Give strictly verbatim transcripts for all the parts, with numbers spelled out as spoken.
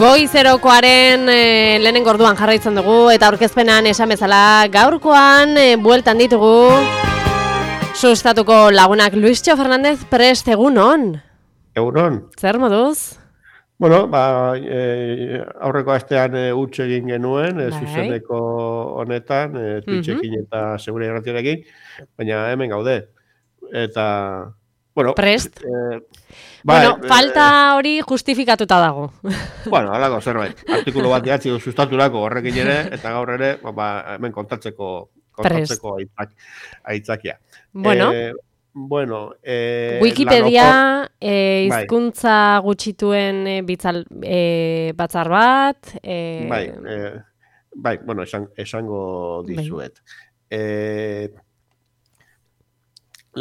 Goi zerokoaren e, lehenengo orduan jarraitzen dugu eta aurkezpenan esan bezala gaurkoan e, bueltan ditugu sustatuko lagunak. Luistxo Fernandez prest, egunon? Egunon. Zer moduz? Bueno, ba, e, aurreko astean e, huts egin genuen, e, zuzeneko honetan, e, Twitchekin eta Segure Irratiarekin, baina hemen gaude. Eta, bueno... Prest? E, bueno, ba, falta hori justifikatuta dago. Bueno, alako zerbait. Artikulu bat idatzi sustaturako horrekin ere, eta gaur ere, ba, hemen kontatzeko, kontatzeko aitzak, aitzakia. Bueno, e, bueno e, Wikipedia e, hizkuntza bai. Gutxituen e, bitzal, e, batzar bat. E... Bai, e, bai, bueno, esan, esango dizuet. Bai. E,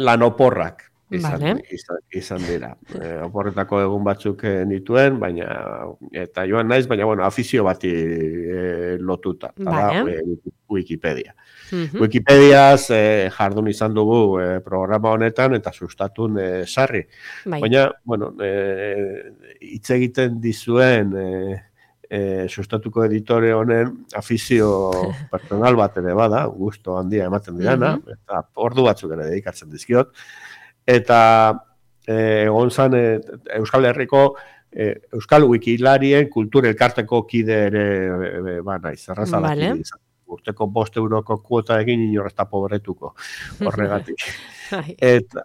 lanoporrak. Izan, vale. izan, izan dira. E, oporretako egun batzuk nituen, baina eta joan naiz, baina bueno, afizio bati e, lotuta, vale. Da, e, Wikipedia. Uh-huh. Wikipediaz e, jardun izan dugu e, programa honetan eta sustatun e, sarri. Bai. Baina, bueno, hitz e, egiten dizuen e, e, sustatuko editore honen afizio personal bat ere bada, gusto handia ematen dirana, uh-huh. Eta ordu batzuk ere dedikatzen dizkiot. Eta egon zan e, Euskal Herriko e, Euskal Wikilarien kultur elkarteko kide ere e, ba naiz, errazalak vale. Izan. Urteko bost euroko kuota egin inorrezta pobretuko horregatik. eta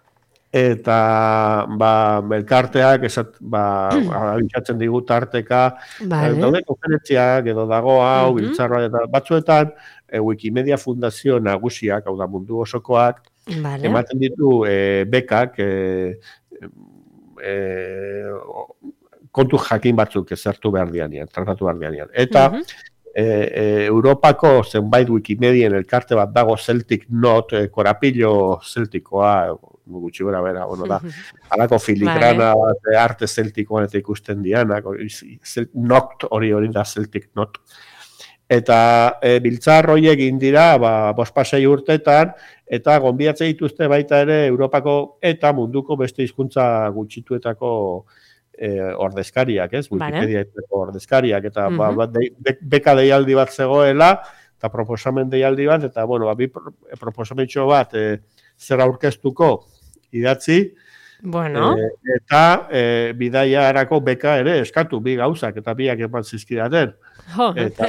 eta ba elkarteak esat ba abitzatzen digu tarteka vale. Daude konferentziak edo dago hau uh-huh. Biltzarra eta batzuetan e, Wikimedia Fundazio nagusiak, hau da mundu osokoak vale. Ematen ditu e, bekak e, e, kontu jakin batzuk ezertu behar dianean, tratatu behar dianean. Eta uh-huh. e, e, Europako zenbait Wikimedien elkarte bat dago Celtic Note, e, korapillo celtikoa, gutxi bera bera, bueno da, halako filigrana vale. Bat arte celtikoan eta ikusten dianak, Noct hori hori da Celtic Note. Eta e, biltzar horiek egin dira, ba, bospasei urtetan, eta gonbidatzen dituzte baita ere Europako eta munduko beste hizkuntza gutxituetako e, ordezkariak, ez? Wikipediaetako ordezkariak, eta uh-huh. ba, de, be, beka deialdi bat zegoela, eta proposamen deialdi bat, eta bueno, ba, bi proposamentxo bat e, zer aurkeztuko idatzi, bueno. e, eta e, bidaiarako beka ere eskatu, bi gauzak, eta biak eman zizkidaten. Jo, eta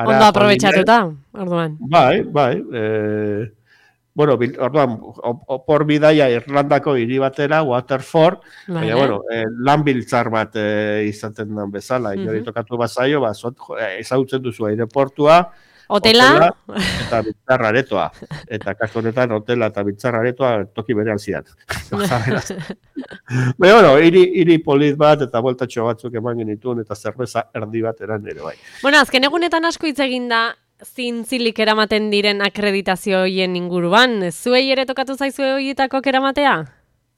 ondo aprobetxatuta, orduan. Bai, bai. E, bueno, orduan, opor bidaia Irlandako hiri batera, Waterford, vale. Baina, bueno, e, lan biltzar bat e, izaten den bezala, uh-huh. Inori tokatu bazaio, ba, ezagutzen duzu aireportua, hotela, hotela eta biltzar aretoa. Eta kasu honetan, hotela eta biltzar aretoa toki berean zidan. Baina, bueno, hiri, hiri polit bat eta bueltatxo batzuk eman genituen eta zerbeza erdi bat eran ere bai. Bueno, azken egunetan asko hitz egin da zintzilik eramaten diren akreditazio hoien inguruan. Zuei ere tokatu zaizue horietako eramatea?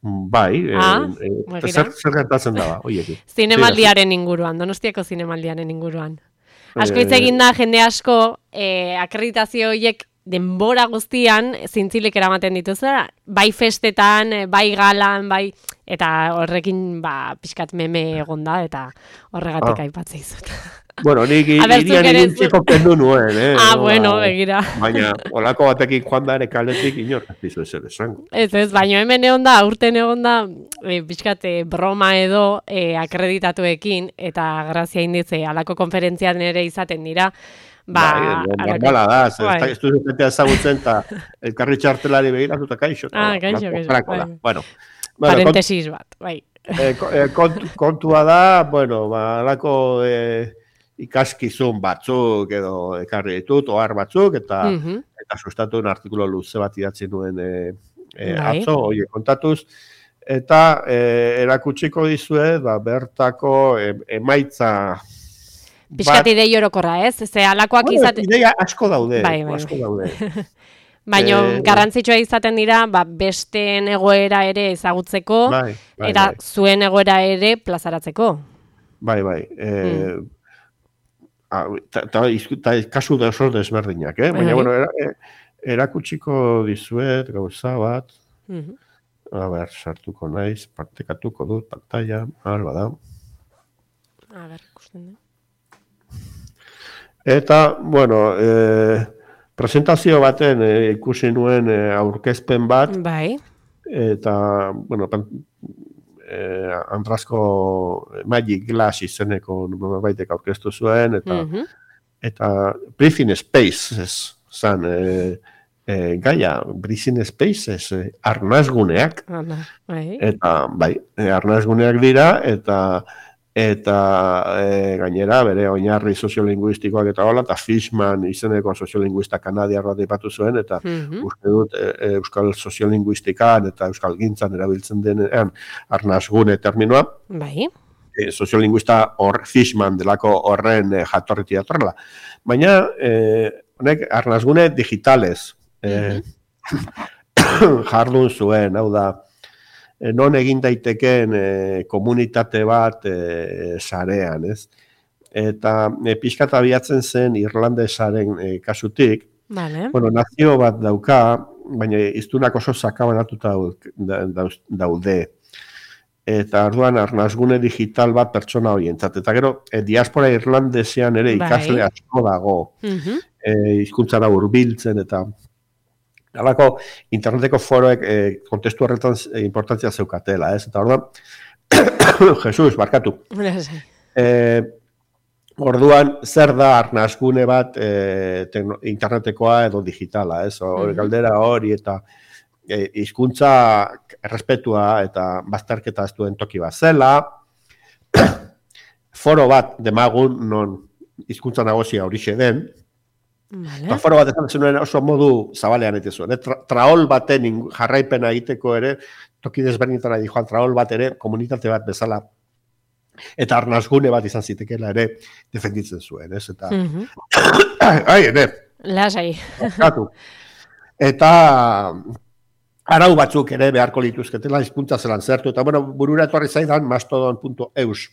Bai, ah, e, e, zer, zer gertatzen da, hoiekin. Zinemaldiaren inguruan, Donostiako zinemaldiaren inguruan. Asko hitz egin da jende asko eh, akreditazio horiek denbora guztian zintzilik eramaten dituzera, bai festetan, bai galan, bai eta horrekin ba pixkat meme egonda eta horregatik ah. aipatzen dizut. Bueno, nik irian irintzeko kendu nuen, eh? Ah, bueno, begira. Baina, olako batekin joan da ere kaletik inor, ez dizu ezer esango. Ez ez, baina hemen egon da, urten egon da, e, pixkat broma edo e, akreditatuekin, eta grazia inditze, alako konferentzian ere izaten dira, ba... Bai, normala da, ez du zuzentea ezagutzen, eta elkarri txartelari begiratu eta kaixo. Ah, kaixo, kaixo, bai. Bueno, parentesis bat, bai. Kontua da, bueno, ba, alako... ikaskizun batzuk edo ekarri ditut, ohar batzuk, eta uh-huh. eta sustatu un artikulo luze bat idatzi nuen e, e, atzo, oie kontatuz, eta e, erakutsiko dizue, ba, bertako e, emaitza... Piskat idei orokorra, ez? Ze alakoak bueno, izate... Ideia asko daude, bai, bai. asko daude. Baina e, garrantzitsua izaten dira, ba, besteen egoera ere ezagutzeko, bai, bai, eta bai. Zuen egoera ere plazaratzeko. Bai, bai. E, mm. Eta kasu da oso desberdinak, eh? Baina, bueno, era, erakutsiko dizuet gauza bat. Uh-huh. A ber, sartuko naiz, partekatuko dut pantalla, alba da. A ber, ikusten da. Eta, bueno, e, presentazio baten e, ikusi nuen e, aurkezpen bat. Bai. Eta, bueno, pan, e, Andrasko Magic Glass izeneko baitek aurkeztu zuen, eta, mm-hmm. eta Briefing Spaces zan, e, e, gaia, Briefing Spaces, e, arnazguneak. Hala, bai. Eta, bai, e, arnazguneak dira, eta eta e, gainera bere oinarri soziolinguistikoak eta hola, eta Fishman izeneko soziolinguista kanadiarra dipatu zuen, eta mm-hmm. uste dut e, e, euskal soziolinguistikan eta euskal gintzan erabiltzen denean arnazgune terminoa. Bai. E, soziolinguista hor Fishman delako horren e, jatorriti datorrela. Baina, e, honek arnazgune digitales e, mm-hmm. jardun zuen, hau da, non egin daiteken e, komunitate bat e, sarean, ez? Eta e, pixkat abiatzen zen irlandesaren e, kasutik, vale. Bueno, nazio bat dauka, baina iztunak oso sakabanatuta daude. Eta orduan arnazgune digital bat pertsona horientzat. Eta gero, e, diaspora irlandesean ere ikasle bai. Asko dago, mm-hmm. e, hizkuntzara hurbiltzen eta halako interneteko foroek e, kontestu horretan e, importantzia zeukatela, ez? Eta orduan, Jesus, barkatu. E, orduan, zer da arnazgune bat e, tekno, internetekoa edo digitala, ez? Hori galdera hori eta e, hizkuntza errespetua eta bazterketa ez duen toki bat zela, foro bat demagun non hizkuntza nagosia horixe den, vale. Eta foro bat ezan zenuen oso modu zabalean egite zuen. Eh? Tra traol baten jarraipena egiteko ere, toki desberdinetara di joan traol bat ere, komunitate bat bezala, eta arnazgune bat izan zitekela ere, defenditzen zuen, ez? Eta, mm-hmm. ai, ene. Lasai. Eta, arau batzuk ere beharko lituzketela, hizkuntza zelan zertu, eta, bueno, burura etorri zaidan, mastodon punto eus.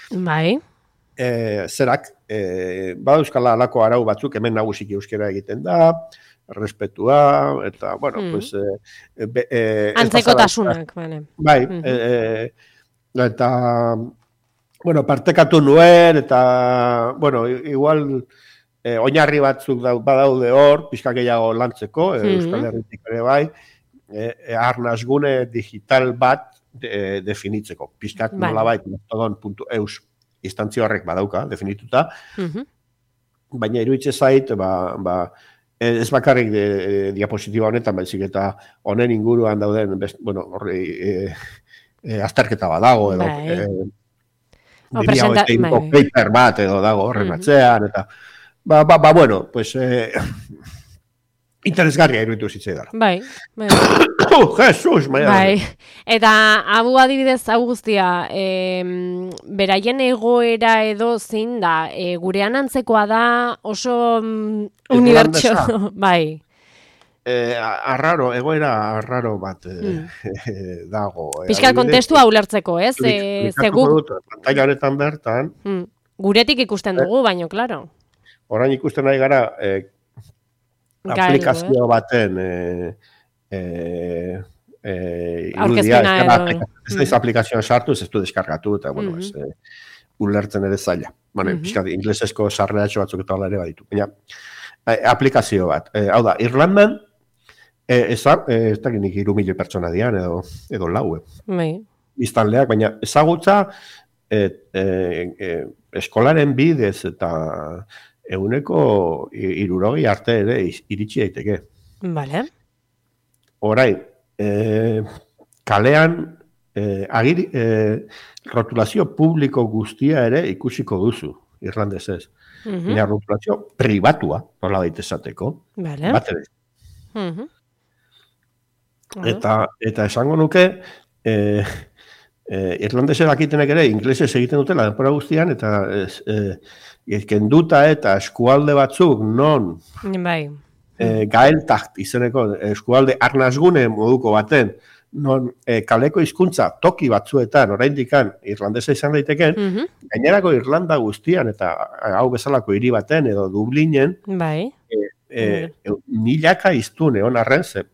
Bai. E, zerak, e, bada euskala alako arau batzuk, hemen nagusiki euskera egiten da, respetua, eta, bueno, mm. pues... E, be, e, antzekotasunak, bale. Bai, mm-hmm. e, e, eta, bueno, partekatu nuen, eta, bueno, igual, e, oinarri batzuk da, badaude hor, pixka gehiago lantzeko, e, mm-hmm. Euskal Herritik ere bai, e, e, arnazgune digital bat de, definitzeko, pixkat vale. Nola bai, mastodon punto eus. Instantzio horrek badauka, definituta, mm-hmm. baina iruditzen zait, ba, ba, ez bakarrik de, de, diapositiba honetan, baizik eta honen inguruan dauden, best, bueno, horri, e, e, azterketa badago, edo, bai. e, diria hoeteiko paper bat, edo dago horren mm-hmm. atzean, eta, ba, ba, ba, bueno, pues, e, interesgarria iruditu zitzaidan. Bai, bai. Oh, Jesus, maia. Bai, eta hau adibidez hau guztia, e, beraien egoera edo zein da, e, gurean antzekoa da oso mm, unibertsio, bai. E, arraro, egoera arraro bat e, mm. dago. E, Piskal kontestua ulertzeko, ez? E, zegu... Pantailaretan bertan. Mm. Guretik ikusten dugu, e, baino, klaro. Orain ikusten nahi gara, e, aplikazio baten... E, Eh, eh, irudia, ez da aplikazioan sartu, ez du deskargatu, eta, bueno, mm-hmm. ez, eh, ulertzen ere zaila. Bueno, mm-hmm. pixkat, inglesezko sarreatxo batzuk eta ere baditu. Baina, eh, aplikazio bat. Eh, hau da, Irlandan, eh, ez da, eh, ez da ginik iru milioi pertsona dian, edo, edo lau, eh. Biztanleak, baina ezagutza, eh, eh, eh, eskolaren bidez eta eguneko hirurogei arte ere iritsi daiteke. Vale. Orain, eh, kalean eh, agiri, eh, rotulazio publiko guztia ere ikusiko duzu, irlandesez. Mm-hmm. Nea rotulazio pribatua, nola daitezateko. Vale. Bat ere. Mm-hmm. Eta, eta esango nuke, eh, eh, irlandesez dakitenek ere, inglesez egiten dutela denpora guztian, eta eh, kenduta eta eskualde batzuk non... Bai. E, gaeltakt izeneko eskualde arnazgune moduko baten, non e, kaleko hizkuntza toki batzuetan, oraindikan irlandesa izan daiteken, mm-hmm. gainerako Irlanda guztian, eta hau bezalako hiri baten, edo Dublinen, bai. e, e, e, milaka iztun egon arren, ze,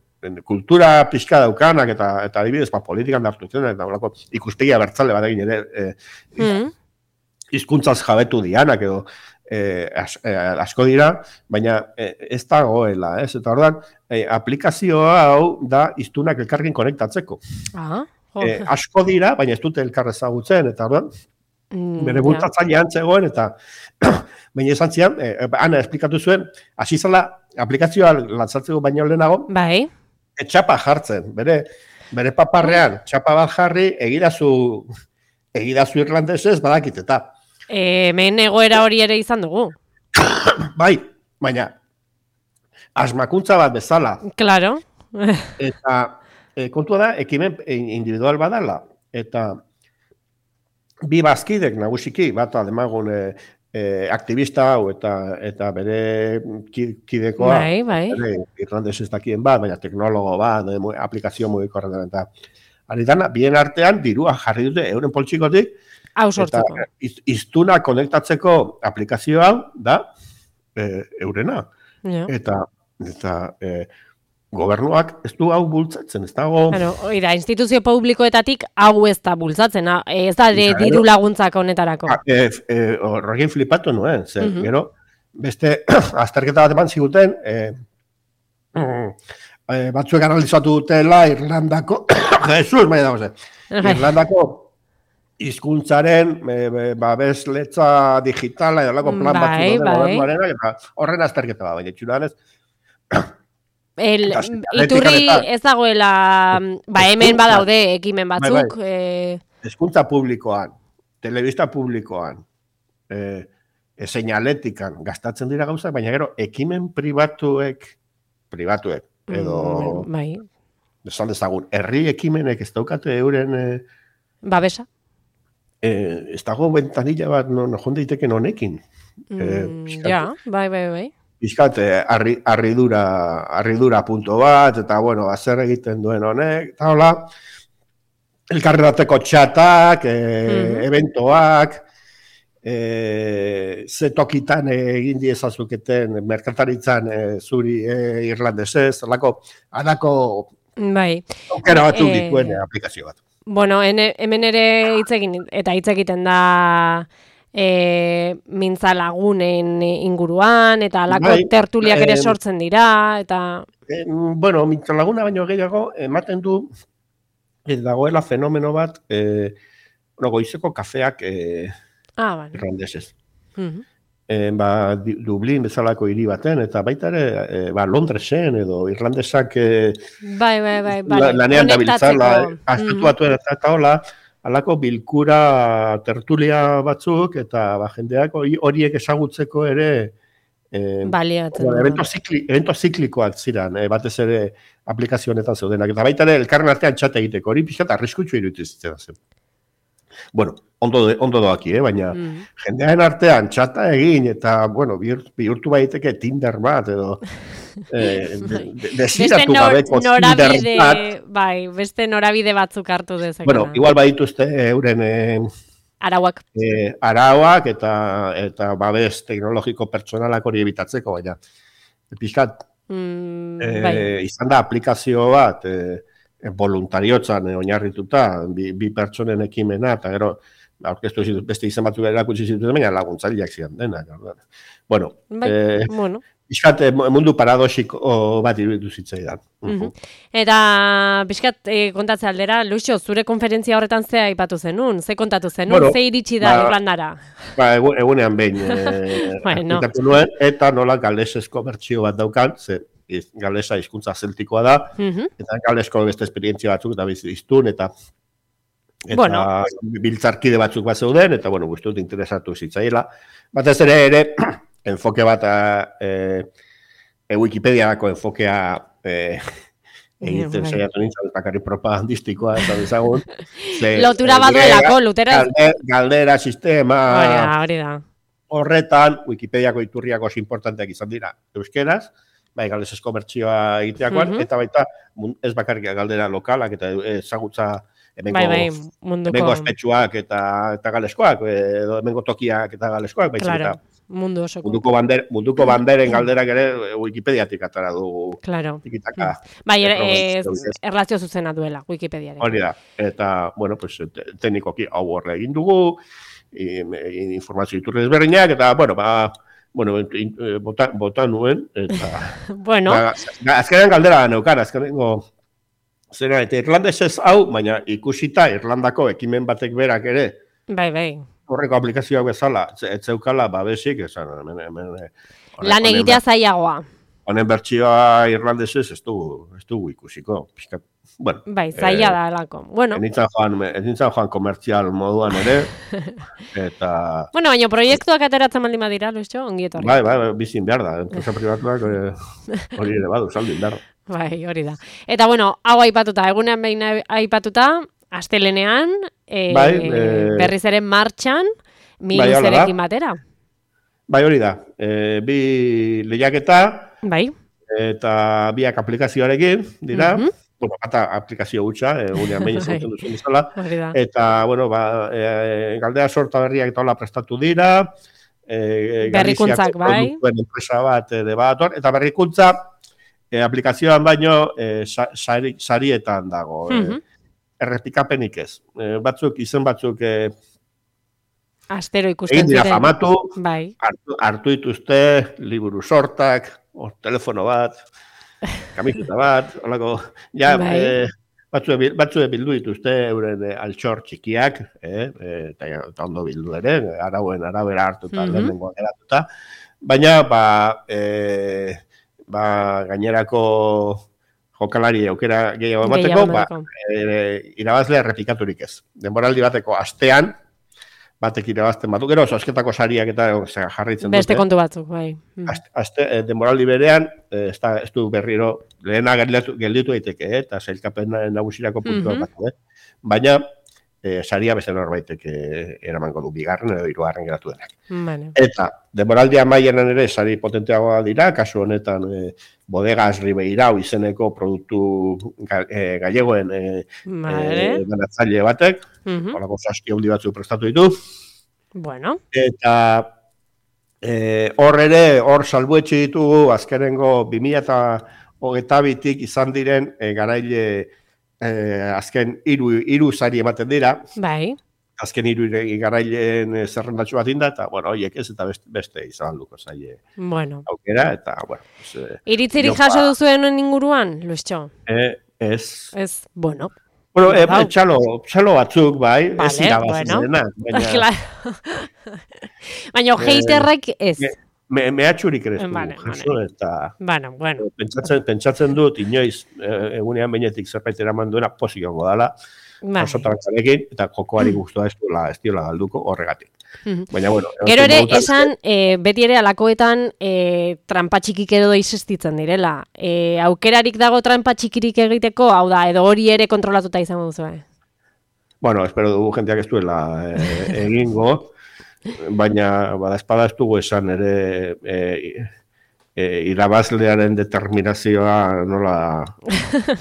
kultura pixka daukanak, eta, eta adibidez, ba, politikan dartu zen, eta olako ikuspegia bertzale bat egin ere, e, mm-hmm. hizkuntzaz jabetu dianak edo eh, as, eh, asko dira, baina eh, ez dagoela, ez? Eta ordan eh, aplikazioa hau da hiztunak elkarrekin konektatzeko. Ah, eh, asko dira, baina ez dute elkar ezagutzen, eta ordan mm, bere bultzatzailean zegoen, eta baina esan zian, eh, Ana esplikatu zuen, hasi zela aplikazioa lantzatzeko baino lehenago, bai. etxapa jartzen, bere, bere paparrean, txapa bat jarri, egidazu, egidazu irlandesez badakit, eta E, hemen egoera hori ere izan dugu. bai, baina asmakuntza bat bezala. Claro. Eta e, kontua da, ekimen individual badala. Eta bi bazkidek nagusiki, bat ademagun e, e, aktivista hau eta eta bere kidekoa, bai, bai. Bere, irlandez ez dakien bat, baina teknologo bat, e, aplikazio mugikorretan eta ari dana, bien artean dirua jarri dute euren poltsikotik, hau sortzeko. Eta iztuna konektatzeko aplikazio hau da e, eurena. Ja. Eta, eta e, gobernuak ez du hau bultzatzen, ez dago... Claro, oida, instituzio publikoetatik hau ez da bultzatzen, ez da de, diru laguntzak honetarako. E, e, Horrekin flipatu nuen, zer, uh-huh. gero, beste azterketa bat eman ziguten, e, e, batzuek analizatu dutela Irlandako, Jesus, maia dago zen, Irlandako hizkuntzaren babes letza digitala edo lako plan bai, batzu bai. gobernuaren, eta horren azterketa bat, baina txuran ez. El, iturri ez dagoela, ba hemen badaude ekimen batzuk. Bai, bai. Hezkuntza publikoan, telebista publikoan, e, e, seinaletikan gastatzen dira gauzak, baina gero ekimen pribatuek, pribatuek, edo, mm, bai. esan dezagun, herri ekimenek ez daukate euren... E, babesa. Eh, ez dago ventanilla bat no, no jonde iteken honekin. Mm, eh, ja, bai, bai, bai. Pizkat, arri, arridura, arridura punto bat, eta bueno, zer egiten duen honek, eta hola, elkarrerateko txatak, e, mm-hmm. eventoak, e, ze tokitan egin diezazuketen merkataritzan e, zuri e, irlandesez, alako, alako, bai. Okera batzuk e... dituen e, aplikazio bat. Bueno, ene, hemen ere hitz egin eta hitz egiten da e, mintza lagunen inguruan eta alako bai, tertuliak ere sortzen dira eta eh, bueno, mintza laguna baino gehiago ematen du ez dagoela fenomeno bat eh, no, goizeko kafeak eh, ah, vale. irlandesez. Uh-huh. E, ba, Dublin bezalako hiri baten, eta baita ere, e, ba, Londresen edo irlandesak e, bai, bai, bai, bai, lanean da biltzala, astutu batuen eta eta hola, alako bilkura tertulia batzuk, eta ba, jendeak horiek ezagutzeko ere e, baliatzen. Bueno, evento, zikli, evento ziklikoak ziren, e, batez ere aplikazio honetan zeudenak, eta baita ere, elkarren artean txate egiteko, hori pixat arriskutsu iruditzen zen. Bueno, ondo, ondo doaki, eh? Baina mm. jendearen artean txata egin eta, bueno, bihurtu baiteke Tinder bat edo eh, desiratu gabeko Tinder bat. Bai, beste norabide batzuk hartu dezakena. Bueno, igual badituzte euren eh, arauak. Eh, arauak eta, eta babes teknologiko pertsonalak hori ebitatzeko, baina pixkat mm, eh, bai. Izan da aplikazio bat, eh, voluntariotzan eh, oinarrituta, bi, bi pertsonen ekimena, eta gero, aurkeztu zitut, beste izan batzuk erakutsi zituen, baina laguntzaileak zian denak. Bueno, bai, eh, bueno. Bizkat, mundu paradoxiko bat iruditu zitzaidan. Uh-huh. Eta, bizkat, eh, kontatze aldera, Luxo, zure konferentzia horretan zea aipatu zenun? Ze kontatu zenun? Bueno, ze iritsi da ba, Irlandara? Ba, egunean behin, eh, bueno. nuen, eta nola galesezko bertsio bat daukan, ze galesa hizkuntza zeltikoa da, uh-huh. eta galesko beste esperientzia batzuk, eta biztun, eta eta bueno. biltzarkide batzuk bat zeuden, eta, bueno, guztut interesatu zitzaiela. Batez ere, ere, enfoke bat, e, e Wikipediako enfokea e, egiten saiatu nintzen, bakarri propagandistikoa, eta dezagun. Lotura bat duelako, lutera. Galdera, galdera sistema. Hori da, hori da. Horretan, Wikipediako iturriak oso importanteak izan dira, euskeraz, bai, galesezko bertsioa egiteakoan, uh-huh. eta baita, ez bakarrik galdera lokalak, eta ezagutza hemengo, bai, bai, munduko... hemengo aspetsuak eta, eta galeskoak, edo hemengo tokiak eta galeskoak, baizik claro. eta mundu osoko. Munduko, bander, munduko banderen galderak ere Wikipediatik atara du. Claro. Tikitaka. Bai, er, erlazio zuzena duela Wikipediaren. Hori da. Eta, bueno, pues, teknikoki hau horre egin dugu, informazio iturri desberdinak, eta, bueno, ba, bueno, bota, bota nuen, eta... bueno. Ba, azkenean galdera neukan, azkenengo... Zera, eta irlandesez hau, baina ikusita Irlandako ekimen batek berak ere... Bai, bai. Horreko aplikazioak bezala, ez zeukala, babesik, esan... Lan egitea zailagoa. Honen bertsioa irlandesez ez dugu, ez dugu ikusiko. Piskat, bueno, bai, zaila da alako. Bueno. Enintzan joan, enintzan joan komertzial moduan ere, eta... Bueno, baina proiektuak ateratzen baldin badira, Luisio, ongi etorri. Bai, bai, bizin behar da, enpresa pribatuak hori ere badu, saldu behar. Bai, hori da. Eta, bueno, hau aipatuta, egunean behin aipatuta, astelenean, e, bai, e... berriz ere martxan, miluzerekin bai, batera. Bai, hori da. E, bi lehiaketa, bai, eta biak aplikazioarekin, dira, mm-hmm. Bueno, bata aplikazio hutsa, egunean behin zauten duzun izala, eta, bueno, ba, e, galdea sorta berriak eta hola prestatu dira, e, berrikuntzak, bai, enpresa bat, de bat, eta berrikuntza, e, aplikazioan baino, e, sari, sarietan dago, mm-hmm. e, errepikapenik ez. E, batzuk, izen batzuk, e, astero ikusten ziren. Egin dira famatu, bai. hartu, hartu dituzte, liburu sortak, o, telefono bat, kamiseta bat, holako, ja, bai. e, batzue, batzue bildu dituzte euren e, altxor txikiak, eh, eta, eta ondo bildu ere, arauen arabera hartuta, mm-hmm. lehenengo geratuta, baina, ba, e, ba, gainerako jokalari aukera gehiago emateko, ba, e, irabazlea errepikaturik ez. Denboraldi bateko astean, batek irabazten batu, gero, sosketako sariak eta jarraitzen dute. Beste kontu batzuk, bai. Azte, azte, denboraldi berean, ez, da, ez du berriro, lehena gelditu daiteke, eh? Eta zailkapen nagusirako puntuak mm-hmm. batu, eh? Baina, eh, saria beste norbaitek eh, eramango du bigarren edo hirugarren geratu denak. Vale. Eta, denboraldi amaieran ere, sari potenteagoa dira, kasu honetan, eh, Bodegas Ribeirao izeneko produktu ga, eh, gallegoen eh, vale. eh, banatzaile batek, mm-hmm. Horako saski handi batzu prestatu ditu. Bueno. Eta hor eh, ere, hor salbuetxe ditugu, azkenengo bi mila hogeita bitik izan diren eh, garaile eh, azken hiru hiru sari ematen dira. Bai. Azken hiru garaileen zerrendatxo bat inda, eta, bueno, horiek ez, eta beste, beste izan duko zaie bueno. aukera, eta, bueno. Pues, iritzirik jaso duzuen inguruan, Luisio? Eh, ez. Ez, bueno. Bueno, eh, txalo, txalo batzuk, bai, vale, ez irabazi bueno. zena. Baina, baina heiterrek ez. Me, me, mehatxurik ere ez du, vale, jaso, vale. eta... Bueno, bueno. Pentsatzen, pentsatzen dut, inoiz, eh, egunean behinetik zerbait eraman duena posik ongo dala, osotaratzarekin, eta jokoari guztua ez diola, ez diola galduko horregatik. Baina, bueno... Gero ere, esan, e, beti ere alakoetan e, trampa txikik edo existitzen direla. E, aukerarik dago trampa txikirik egiteko, hau da, edo hori ere kontrolatuta izango duzu, eh? Bueno, espero dugu jenteak ez duela e, egingo, baina, bada espada ez dugu esan ere... E, E, irabazlearen determinazioa nola,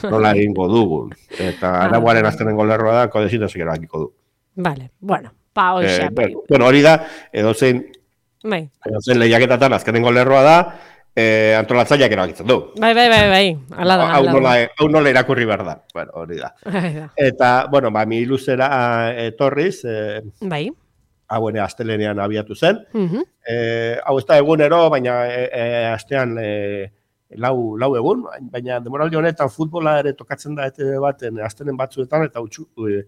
nola egingo dugun. Eta araguaren aztenengo lerroa da, kodezintazik erabakiko du. Vale, bueno, pa hori eh, bueno, bueno, hori da, edozein, bai. edozein lehiaketatan azkenengo lerroa da, eh, antolatzaileak erabakitzen du. Bai, bai, bai, bai. Ala da, hau, nola, hau nola irakurri behar da. Bueno, hori da. da. Eta, bueno, ba, mi luzera etorriz, eh, bai. Hau ere astelenean abiatu zen. Uh-huh. Eh, hau ez da egunero, baina e, e, astean e, lau, lau egun, baina demoraldi honetan futbola ere tokatzen da ete baten astenen batzuetan, eta huts e,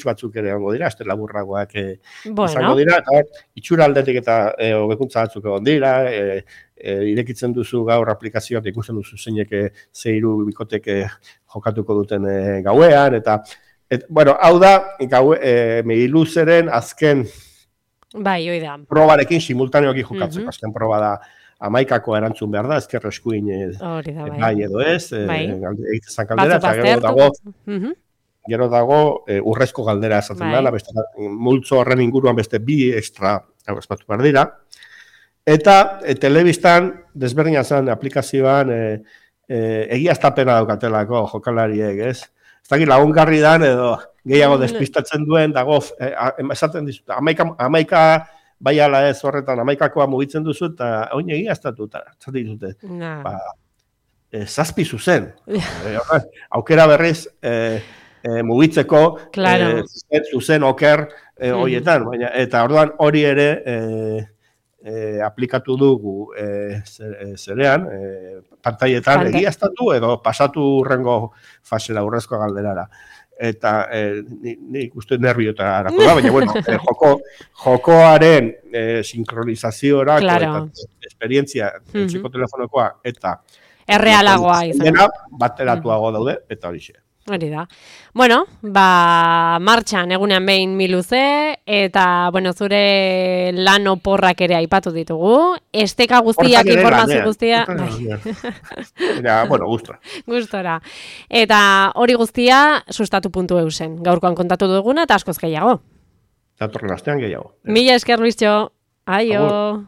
batzuk ere egongo dira, aste laburragoak e, bueno. izango dira, eta itxura aldetik eta e, hobekuntza batzuk egon dira, e, e, irekitzen duzu gaur aplikazioak ikusten duzu zeinek ze hiru bikoteke jokatuko duten e, gauean, eta et, bueno, hau da, gaue, e, Meiluzeren azken bai, oi da. Probarekin simultaneoki jokatzeko. Mm-hmm. Azken proba da amaikako erantzun behar da, ezker eskuin e, bai. bai edo ez, bai. e, egiten galdera, eta gero dago, mm-hmm. gero dago e, urrezko galdera esaten bai. Dela, beste, multzo horren inguruan beste bi extra espatu behar dira. Eta e, telebistan, desberdina zen aplikazioan, e, e, egiaztapena daukatelako jokalariek, ez? Ez dakit lagungarri dan edo gehiago despistatzen duen, dago, eh, esaten dizut, amaika, amaika bai ala ez horretan, amaikakoa mugitzen duzu, eta oin egiaztatu, eta zaten dizute. No. Ba, e, zazpi zuzen. e, aukera berriz e, e, mugitzeko, claro. e, zuzen, zuzen oker e, horietan, baina, eta orduan hori ere e, e, aplikatu dugu e, zerean, e, pantailetan egiaztatu edo pasatu urrengo fasera urrezko galderara. Eta eh, nik uste nerviota harako da, baina bueno, eh, joko, jokoaren eh, sincronizaziora, claro. Eta esperientzia, mm -hmm. psikotelefonokoa, eta errealagoa izan. Bateratuago daude, eta hori xe. Hori da. Bueno, ba, martxan egunean behin miluze, eta, bueno, zure lan oporrak ere aipatu ditugu. Esteka guztiak, informazio guztia. Ja, bueno, gustora. Gustora. Eta hori guztia sustatu puntu eusen. Gaurkoan kontatu duguna, eta askoz gehiago. Datorren astean gehiago. Mila esker, Luisio. Aio. Agur.